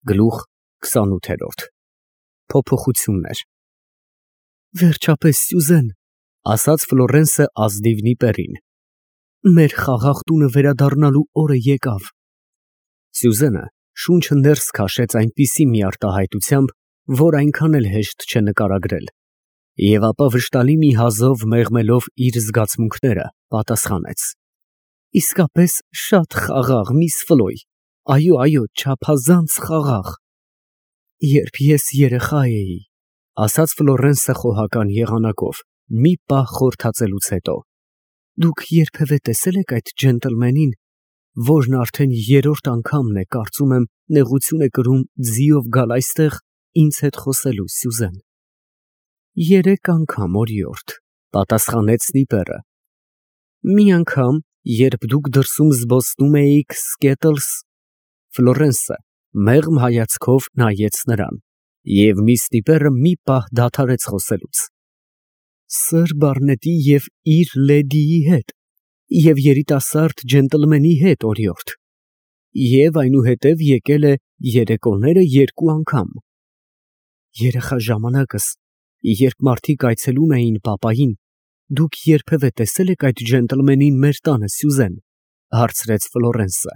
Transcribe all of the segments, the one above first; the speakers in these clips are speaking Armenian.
Գլուխ 28 Փոփոխություններ Վերջապես Սյուզեն, ասաց Ֆլորենսը ազնիվ նիպերին, մեր խաղաղ տունը վերադառնալու օրը եկավ։ Սյուզենը շունչը ներս քաշեց այնպիսի մի արտահայտությամբ, որ այնքան էլ հեշտ չէ նկարագրել, և ապա վշտալի մի հազով մեղմելով իր զգացմունքները, պատասխանեց. Իսկապես շատ խաղաղ, միս Ֆլոյ, այո, չափազանց խաղաղ։ Երբ ես երեխա էի, ասաց Ֆլորենսը խոհական եղանակով, մի պահ խորհրդածելուց հետո, դուք երբևէ տեսել եք այդ ջենտլմենին, որն արդեն երրորդ անգամն է, կարծում եմ, նեղություն է կրում ձիով գալ այստեղ ինձ հետ խոսելու, Սյուզեն։ 3 անգամ, օրիորդ, պատասխանեց նիպերը։ Մի անգամ, երբ դուք դրսում զբոսնում էիք Սկետլս, Ֆլորենսը մեղմ հայացքով նայեց նրան, և միս նիպերը մի պահ դադարեց խոսելուց։ Սըր Բարնետի և իր լեդիի հետ, և երիտասարդ ջենտլմենի հետ, օրիորդ, և այնուհետև եկել է երեկոները 2 անգամ։ Երեխա ժամանակս, երբ մարդիկ այցելում էին պապային, դուք երբևէ տեսել եք այդ ջենտլմենին մեր տանը, Սյուզեն, հարցրեց Ֆլորենսը։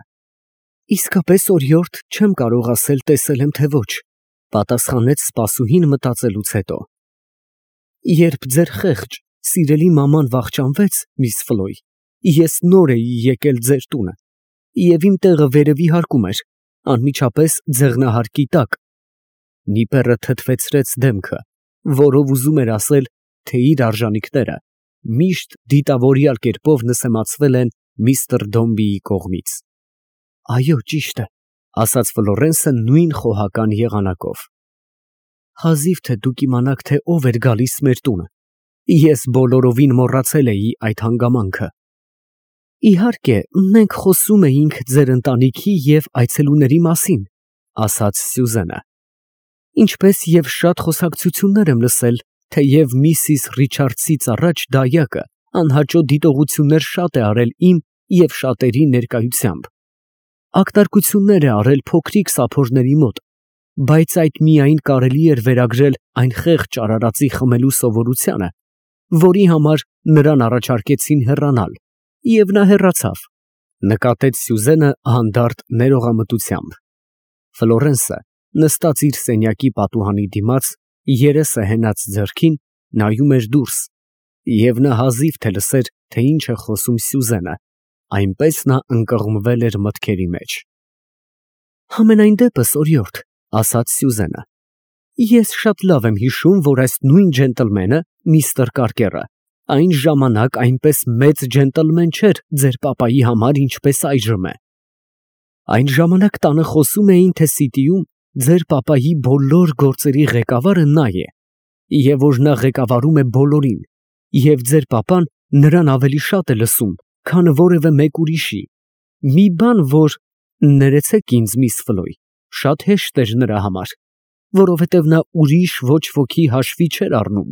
Իսկապես, օրիորդ, չեմ կարող ասել տեսել եմ, թե ոչ, պատասխանեց սպասուհին մտածելուց հետո։ Երբ ձեր խեղճ, սիրելի մաման վախճանվեց, միս Ֆլոյ, ես նոր էի եկել ձեր տունը, և իմ տեղը վերևի հարկում էր, անմիջապես ձեղնահարկի տակ։ Նիպերը թեթվեցրեց դեմքը, որով ուզում էր ասել, թե իր արժանիքները միշտ դիտավորյալ կերպով նսեմացվել են միստր Դոմբիի կողմից։ Այո, ճիշտ է, ասաց Ֆլորենսը նույն խոհական եղանակով։ Հազիվ թե դուք իմանաք, թե ով էր գալիս մեր տունը, ես բոլորովին մոռացել էի այդ հանգամանքը։ Իհարկե, մենք խոսում էինք ձեր ընտանիքի և այցելուների մասին, ասաց Սյուզենը, ինչպես և շատ խոսակցություններ եմ լսել, թեև միսիս Ռիչարդսից առաջ դայակը անհաճո դիտողություններ շատ է արել իմ և շատերի ներկայությամբ։ Ակնարկություններ է արել փոքրիկ սափորների մոտ, բայց այդ միայն կարելի էր վերագրել այն խեղճ արարածի խմելու սովորությանը, որի համար նրան առաջարկեցին հեռանալ, և նա հեռացավ, նկատեց Սյուզենը հանդարտ ներողամտությամբ։ Ֆլորենսը նստած իր սենյակի պատուհանի դիմաց, երեսը հենած ձեռքին, նայում էր դուրս, և նա հազիվ թե լսեր, թե ինչ է խոսում Սյուզենը, այնպես նա ընկղմվել էր մտքերի մեջ։ Համենայն դեպս, օրիորդ, ասաց Սյուզենը, ես շատ լավ եմ հիշում, որ այս նույն ջենտլմենը, միստր Կարկերը, այն ժամանակ այնպես մեծ ջենտլմեն չէր ձեր պապայի համար, ինչպես այժմ է։ Այն ժամանակ տանը խոսում էին, թե Սիտիում ձեր պապայի բոլոր գործերի ղեկավարը նա է, և որ նա ղեկավարում է բոլորին, և ձեր պապան նրան ավելի շատ է լսում, քան որևէ մեկ ուրիշի, մի բան, որ, ներեցեք ինձ, միս Ֆլոյ, շատ հեշտ էր նրա համար, որովհետև նա ուրիշ ոչ ոքի հաշվի չէր առնում։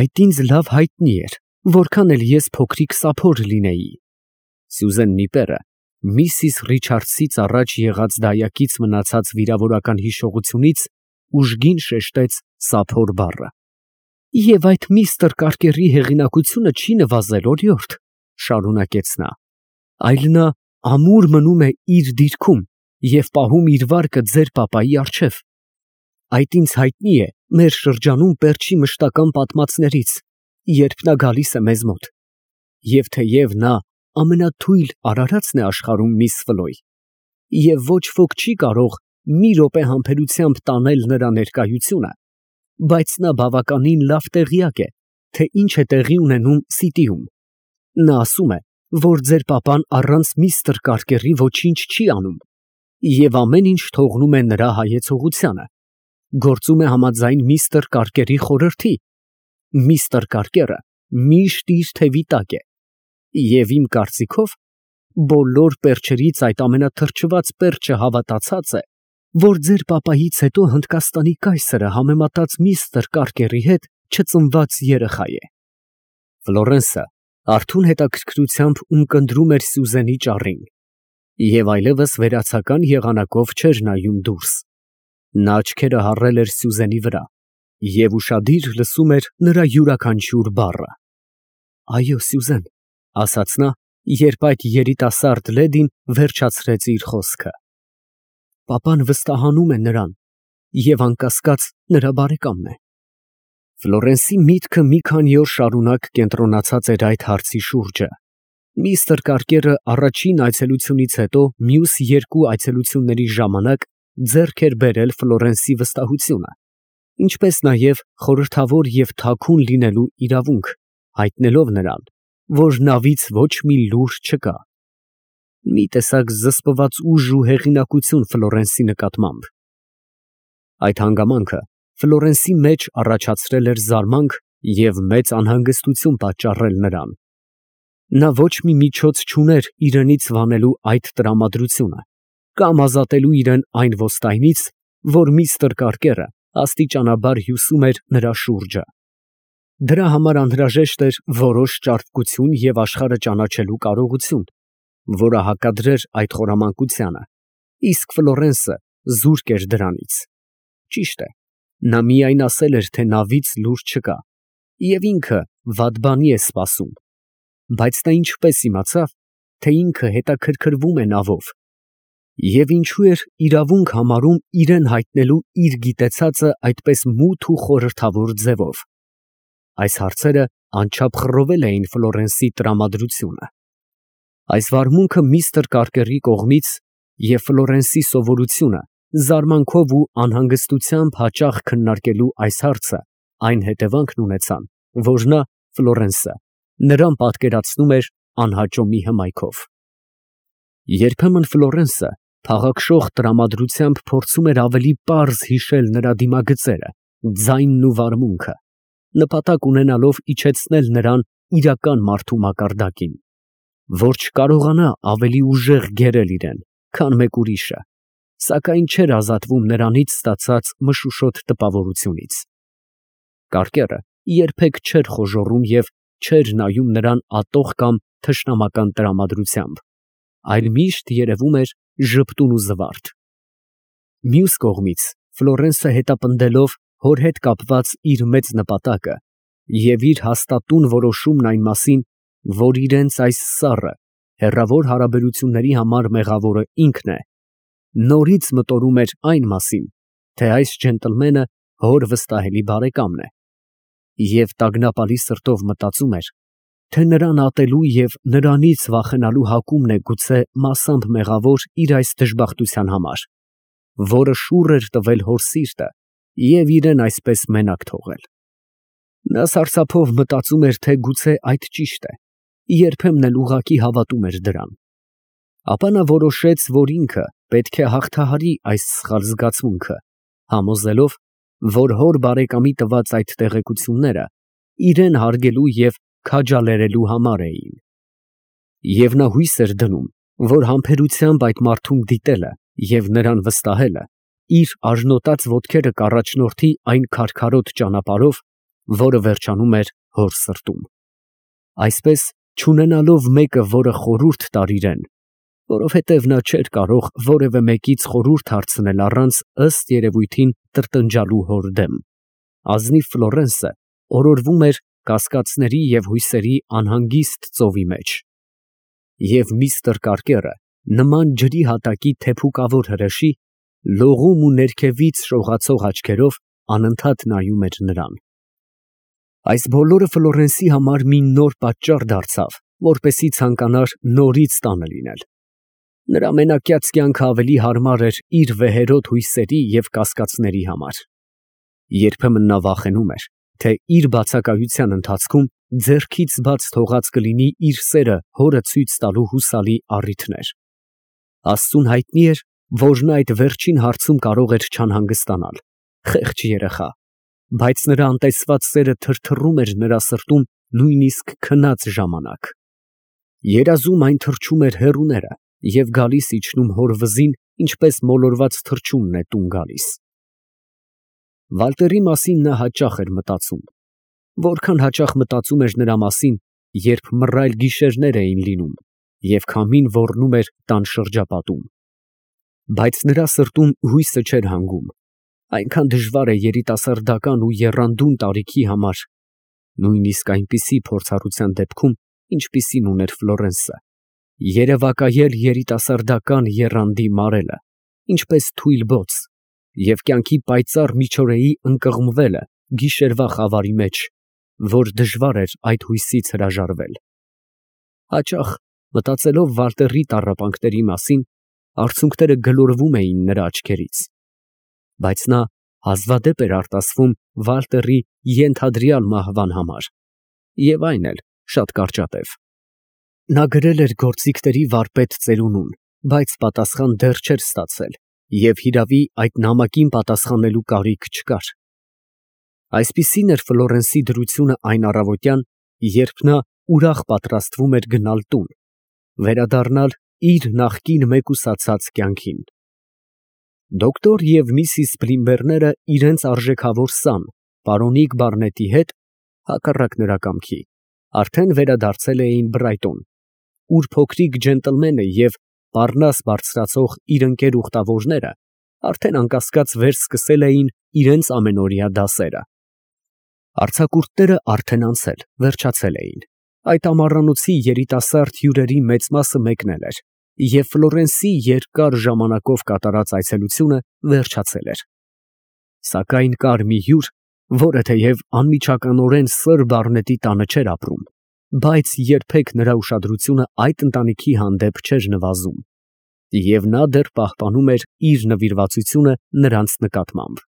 Այդ ինձ լավ հայտնի էր, որքան էլ ես փոքրիկ սափոր լինեի։ Սյուզեն նիպերը միսիս Ռիչարդսից առաջ եղած դայակից մնացած վիրավորական հիշողությունից ուժգին շեշտեց սափոր բառը։ Եվ այդ միստր Կարկերի հեղինակությունը չի նվազել, օրիորդ, շարունակեց նա, այլ նա ամուր մնում է իր դիրքում և պահում իր վարկը ձեր պապայի առջև։ Այդ ինձ հայտնի է մեր շրջանում պերճի մշտական պատմածներից, երբ նա գալիս է մեզ մոտ։ Եվ թեև նա ամենաթույլ արարածն է աշխարհում, միս Ֆլոյ, և ոչ ոք չի կարող մի րոպե համբերությամբ տանել նրա ներկայությունը, բայց նա բավականին լավ տեղյակ է, թե ինչ է տեղի ունենում Սիտիում։ Նա ասում է, որ ձեր պապան առանց միստր Կարկերի ոչինչ չի անում, և ամեն ինչ թողնում է նրա հայեցողությանը, գործում է համաձայն միստր Կարկերի խորհրդի։ Միստր Կարկերը միշտ իր թևի տակ է, և իմ կարծիքով, բոլոր պերճերից այդ ամենաթրջված պերճը հավատացած է, որ ձեր պապայից հետո Հնդկաստանի կայսրը համեմատած միստր Կարկերի հետ չծնված երեխա է։ Ֆլորենսը արթուն հետաքրքրությամբ ունկնդրում էր Սյուզենի ճառին, Եվ այլևս վերացական եղանակով չէր նայում դուրս։ Նա աչքերը հառել էր Սյուզենի վրա և ուշադիր լսում էր նրա յուրաքանչյուր բառը։ «Այո, Սյուզեն», ֊ ասաց նա, երբ այդ երիտասարդ լեդին վերջացրեց իր խոսքը։ «Պապան վստահանում է նրան և անկասկած նրա բարեկամն է»։ Ֆլորենսի միտքը մի քանի օր շարունակ կենտրոնացած էր այդ հարցի շուրջը։ Միստր Կարկերը առաջին այցելությունից հետո մյուս երկու այցելությունների ժամանակ ձեռք էր բերել Ֆլորենսի վստահությունը, ինչպես նաև խորհրդավոր և թաքուն լինելու իրավունք, հայտնելով նրան, որ նավից ոչ մի լուր չկա։ Մի տեսակ զսպված ուժ ու հեղինակություն Ֆլորենսի նկատմամբ։ Այդ հանգամանքը Ֆլորենսի մեջ առաջացրել էր զարմանք և մեծ անհանգստություն պատճառել նրան։ Նա ոչ մի միջոց չուներ իրենից վանելու այդ տրամադրությունը կամ ազատելու իրեն այն ոստայնից, որ միստր Կարկերը աստիճանաբար հյուսում էր նրա շուրջը։ Դրա համար անհրաժեշտ էր որոշ ճարպկություն և աշխարհը ճանաչելու կարողություն, որը հակադրեր այդ խորամանկությանը, իսկ Ֆլորենսը զուրկ էր դրանից։ Ճիշտ է, նա միայն ասել էր, թե նավից լուր չկա, և ինքը վատ բանի է սպասում, բայց նա ինչպես իմացավ, թե ինքը հետաքրքրվում է նավով, և ինչու էր իրավունք համարում իրեն հայտնելու իր գիտեցածը այդպես մութ ու խորհրդավոր ձևով։ Այս հարցերը անչափ խռովել էին Ֆլորենսի տրամադրությունը։ Այս վարմունքը միստր Կարկերի կողմից և Ֆլորենսի սովորությունը զարմանքով ու անհանգստությամբ հաճախ քննարկելու այս հարցը այն հետևանքն ունեցան, որ նա, Ֆլորենսը, նրան պատկերացնում էր անհաճո մի հմայքով։ Երբեմն Ֆլորենսը փաղաքշող տրամադրությամբ փորձում էր ավելի պարզ հիշել նրա դիմագծերը, ձայնն ու վարմունքը, նպատակ ունենալով իջեցնել նրան իրական մարդու մակարդակին, որ չկարողանա ավելի ուժեղ գերել իրեն, քան մեկ ուրիշը, սակայն չէր ազատվում նրանից ստացած մշուշոտ տպավորությունից։ Կարկերը երբեք չէր խոժոռում և չէր նայում նրան ատող կամ թշնամական տրամադրությամբ, այլ միշտ երևում էր ժպտուն ու զվարթ։ Մյուս կողմից Ֆլորենսը հետապնդելով հոր հետ կապված իր մեծ նպատակը և իր հաստատուն որոշումն այն մասին, որ իրենց այս սառը, հեռավոր հարաբերությունների համար մեղավորը ինքն է, նորից մտորում էր այն մասին, թե այս ջենտլմենը հոր վստահելի բարեկամն է, և տագնապալի սրտով մտածում էր, թե նրան ատելու և նրանից վախենալու հակումն է գուցե մասամբ մեղավոր իր այս դժբախտության համար, որը շուռ էր տվել հոր սիրտը և իրեն այսպես մենակ թողել։ Նա սարսափով մտածում էր, թե գուցե այդ ճիշտ է, երբեմն էլ ուղղակի հավատում էր դրան։ Ապա նա որոշեց, որ ինքը պետք է հաղթահարի այս սխալ զգացմունքը, համոզելով, որ հոր բարեկամի տված այդ տեղեկությունները իրեն հարգելու և քաջալերելու համար էին։ Եվ նա հույս էր դնում, որ համբերությամբ այդ մարդուն դիտելը և նրան վստահելը իր արժանոտած ոտքերը կառաջնորդի այն քարքարոտ ճանապարհով, որը վերջանում էր հոր սրտում։ Այսպես, չունենալով մեկը, որը խորհուրդ տար իրեն, որովհետև նա չէր կարող որևէ մեկից խորհուրդ հարցնել առանց ըստ երևույթին տրտնջալու հոր դեմ, ազնիվ Ֆլորենսը օրորվում էր կասկածների և հույսերի անհանգիստ ծովի մեջ։ Եվ միստր Կարկերը, նման ջրի հատակի թեփուկավոր հրեշի, լողում ու ներքևից շողացող աչքերով անընդհատ նայում էր նրան։ Այս բոլորը Ֆլորենսի համար մի նոր պատճառ դարձավ, որպեսզի ցանկանար նորից տանը լինել։ Նրա մենակյաց կյանքը ավելի հարմար էր իր վեհերոտ հույսերի և կասկածների համար։ Երբեմն նա վախենում էր, թե իր բացակայության ընթացքում ձեռքից բաց թողած կլինի իր սերը հորը ցույց տալու հուսալի առիթներ։ Աստծուն հայտնի էր, որ նա այդ վերջին հարցում կարող էր չանհանգստանալ, խեղճ երեխա, բայց նրա անտեսված սերը թրթռում էր նրա սրտում նույնիսկ քնած ժամանակ։ Երազում այն թռչում էր հեռուները և գալիս իջնում հոր վզին, ինչպես մոլորված թռչունն է տուն գալիս։ Վալտերի մասին նա հաճախ էր մտածում, որքան հաճախ մտածում էր նրա մասին, երբ մռայլ գիշերներ էին լինում, և քամին ոռնում էր տան շրջապատում։ Բայց նրա սրտում հույսը չէր հանգում, այնքան դժվար է երիտասարդական ու եռանդուն տարիքի համար, նույնիսկ այնպիսի փորձառության դեպքում, ինչպիսին ուներ Ֆլորենսը, երևակայել երիտասարդական եռանդի մարելը, ինչպես թույլ բոց, և կյանքի պայծառ միջօրեի ընկղմվելը գիշերվա խավարի մեջ, որ դժվար էր այդ հույսից հրաժարվել։ Հաճախ, մտածելով Վալտերի տառապանքների մասին, արցունքները գլորվում էին նրա աչքերից, բայց նա հազվադեպ էր արտասվում Վալտերի ենթադրյալ մահվան համար, և այն էլ շատ կարճատև։ Նա գրել էր գործիքների վարպետ ծերունուն, բայց պատասխան դեռ չէր ստացել, և հիրավի այդ նամակին պատասխանելու կարիք չկար։ Այսպիսին էր Ֆլորենսի դրությունը այն առավոտյան, երբ նա ուրախ պատրաստվում էր գնալ տուն, վերադառնալ իր նախկին մեկուսացած կյանքին։ Դոկտոր և միսիս Բլիմբերները իրենց արժեքավոր սան, պարոնիկ Բարնետի հետ, հակառակ նրա կամքի, արդեն վերադարձել էին Բրայտոն, ուր փոքրիկ ջենտլմենը և պառնաս բարձրացող իր ընկեր ուխտավորները արդեն անկասկած վերսկսել էին իրենց ամենօրյա դասերը։ Արձակուրդները արդեն անցել, վերջացել էին, այդ ամառանոցի երիտասարդ հյուրերի մեծ մասը մեկնել էր, և Ֆլորենսի երկար ժամանակով կատարած այցելությունը վերջացել էր։ Սակայն կար մի հյուր, որը թեև անմիջականորեն սըր Բարնետի տանը չէր ապրում, բայց երբեք նրա ուշադրությունը այդ ընտանիքի հանդեպ չէր նվազում, և նա դեռ պահպանում էր իր նվիրվածությունը նրանց նկատմամբ։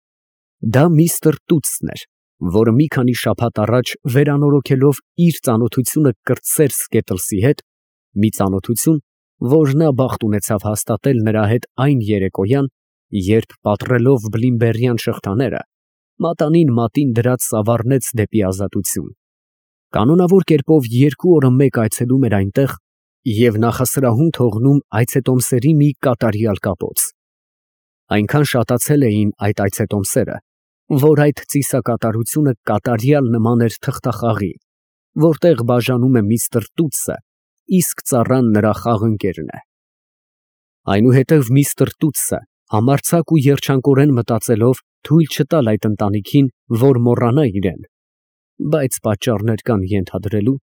Դա միստր Տուտսն էր, որը մի քանի շաբաթ առաջ վերանորոգելով իր ծանոթությունը կրտսեր Սկետլսի հետ, մի ծանոթություն, որ նա բախտ ունեցավ հաստատել նրա հետ այն երեկոյան, երբ պատռելով բլիմբերյան շղթաները, մատանին մատին դրած սավառնեց դեպի ազատություն, կանոնավոր կերպով 2 օրը մեկ այցելում էր այնտեղ և նախասրահում թողնում այցետոմսերի մի կատարյալ կապոց։ Այնքան շատացել էին այդ այցետոմսերը, որ այդ ծիսակատարությունը կատարյալ նման էր թղթախաղի, որտեղ բաժանում է միստր Տուտսը, իսկ ծառան նրա խաղընկերն է։ Այնուհետև միստր Տուտսը, համարձակ ու երջանկորեն մտածելով, թույլ չտալ այդ ընտանիքին, որ մոռանա իրեն, բայց պատճառներ կան ենթադրելու,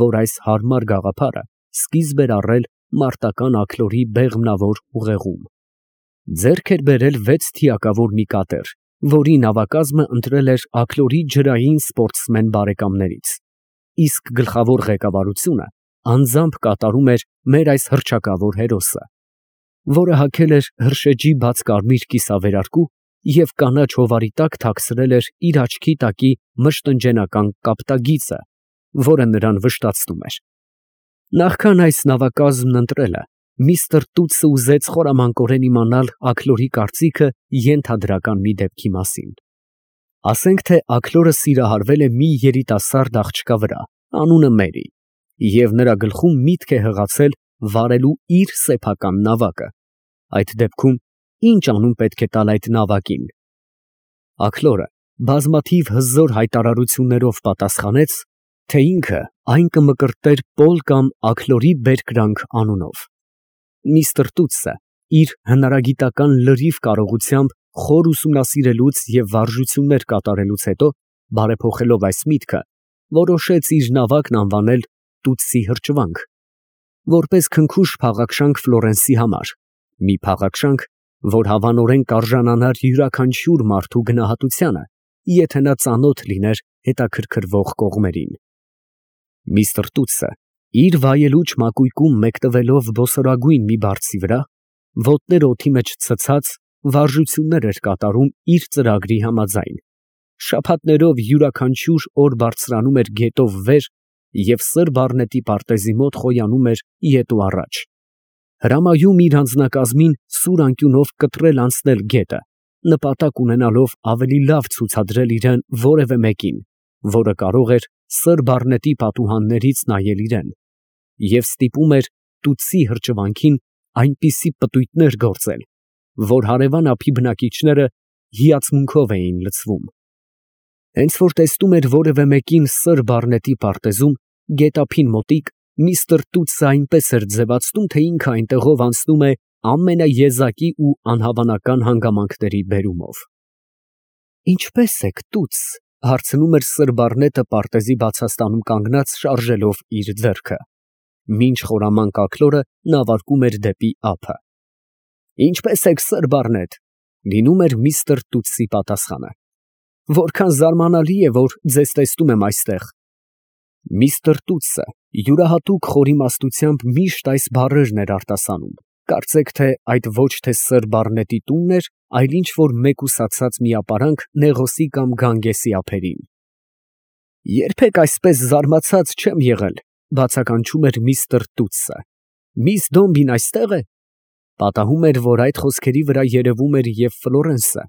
որ այս հարմար գաղափարը սկիզբ էր առել մարտական աքլորի բեղմնավոր ուղեղում։ Ձեռք էր բերել 6 թիակավոր մի կատեր, որի նավակազմը ընտրել էր աքլորի ջրային սպորտսմեն բարեկամներից, իսկ գլխավոր ղեկավարությունը անձամբ կատարում էր մեր այս հռչակավոր հերոսը, որը հագել էր հրշեջի բաց կարմիր կիսավերարկու և կանաչ հովարի տակ թաքցրել էր իր աչքի տակի մշտնջենական կապտագիծը, որը նրան վշտացնում էր։ Նախքան այս նավակազմն ընտրելը, միստր Տուտսը ուզեց խորամանկորեն իմանալ աքլորի կարծիքը ենթադրական մի դեպքի մասին։ Ասենք թե աքլորը սիրահարվել է մի երիտասարդ աղջկա վրա, անունը Մերի, և նրա գլխում միտք է հղացել վարելու իր սեփական նավակը, այդ դեպքում ի՞նչ անուն պետք է տալ այդ նավակին։ Աքլորը բազմաթիվ հզոր հայտարարություններով պատասխանեց, թե ինքը այն կմկրտեր Պոլ կամ Աքլորի Բերկրանք անունով։ Միստր Տուտսը իր հնարագիտական լրիվ կարողությամբ խոր ուսումնասիրելուց և վարժություններ կատարելուց հետո, բարեփոխելով այս միտքը, որոշեց իր նավակն անվանել Տուտսի հրճվանք, որպես քնքուշ փաղաքշանք Ֆլորենսի համար, մի փաղաքշանք, որ հավանորեն կարժանանար յուրաքանչյուր մարդու գնահատությանը, եթե նա ծանոթ լիներ հետաքրքրվող կողմերին։ Միստր Տուտսը իր վայելուչ մակույկում մեկտվելով բոսորագույն մի բարձի վրա, ոտները օդի մեջ ցցած, վարժություններ էր կատարում իր ծրագրի համաձայն, շաբաթներով յուրաքանչյուր օր բարձրանում էր գետով վեր և սըր Բարնետի պարտեզի մոտ խոյանում էր ետ ու առաջ, հրամայում իր անձնակազմին սուր անկյունով կտրել անցնել գետը, նպատակ ունենալով ավելի լավ ցուցադրել իրան որևէ մեկին, որը կարող էր սըր Բարնետի պատուհաններից նայել իրան, և ստիպում էր Տուտսի հրճվանքին այնպիսի պտույտներ գործել, որ հարևան ափի բնակիչները հիացմունքով էին լցվում։ Հենց որ տեսնում էր որևէ մեկին սըր Բարնետի պարտեզում, գետափին մոտիկ, Միստր Տուտսը այնպես էր ձևացնում, թե ինքը այնտեղով անցնում է ամենաեզակի ու անհավանական հանգամանքների բերումով։ «Ինչպե՞ս եք, Տուտս», հարցնում էր սըր Բարնետը պարտեզի բացաստանում կանգնած շարժելով իր ձեռքը։ Մինչ խորաման կաքլորը նավարկում էր դեպի ափը։ «Ինչպե՞ս եք, սըր Բարնետ», լինում էր միստր Տուտսի պատասխանը։ «Որքան զարմանալի է, որ ձեզ տեսնում եմ այստեղ»։ Միստր Տուտսը յուրահատուկ խորիմաստությամբ միշտ այս բառերն էր արտասանում, կարծեք թե այդ ոչ թե սըր Բարնետի տունն էր, այլ ինչ որ մեկուսացած մի ապարանք Նեղոսի կամ Գանգեսի ափերին։ «Երբեք այսպես զարմացած չեմ եղել», բացականչում էր միստր Տուտսը։ «Միս Դոմբին այստե՞ղ է»։ Պատահում էր, որ այդ խոսքերի վրա երևում էր և Ֆլորենսը։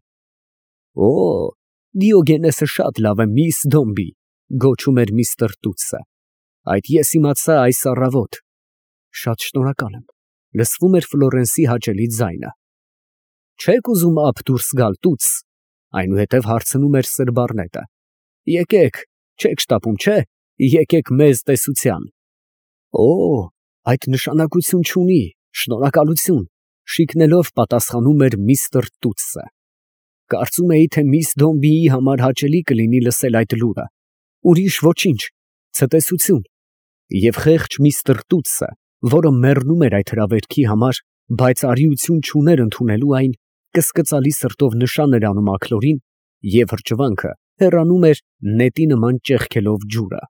«Օ, Դիոգենեսը շատ լավ է, միս Դոմբի», գոչում էր միստր Տուտսը։ «Այդ ես իմացա այս առավոտ»։ «Շատ շնորհակալ եմ», լսվում էր Ֆլորենսի հաճելի ձայնը։ «Չեք ուզում ափ դուրս գալ, Տուտս», այնուհետև հարցնում էր սըր Բարնետը։ «Եկեք, չեք շտապում, չէ՞, եկեք մեզ տեսության»։ «Օ, այդ նշանակություն չունի, շնորհակալություն», շիկնելով պատասխանում էր միստր Տուտսը։ «Կարծում էի, թե միս Դոմբիի համար հաճելի կլինի լսել այդ լուրը, ուրիշ ոչինչ, ցտեսություն»։ Եվ խեղճ միստր Տուտսը, որը մեռնում էր այդ հրավերքի համար, բայց արիություն չուներ ընդունելու այն, կսկծալի սրտով նշան էր անում աքլորին, և հրճվանքը հեռանում էր նետի նման ճեղքելով ջուրը։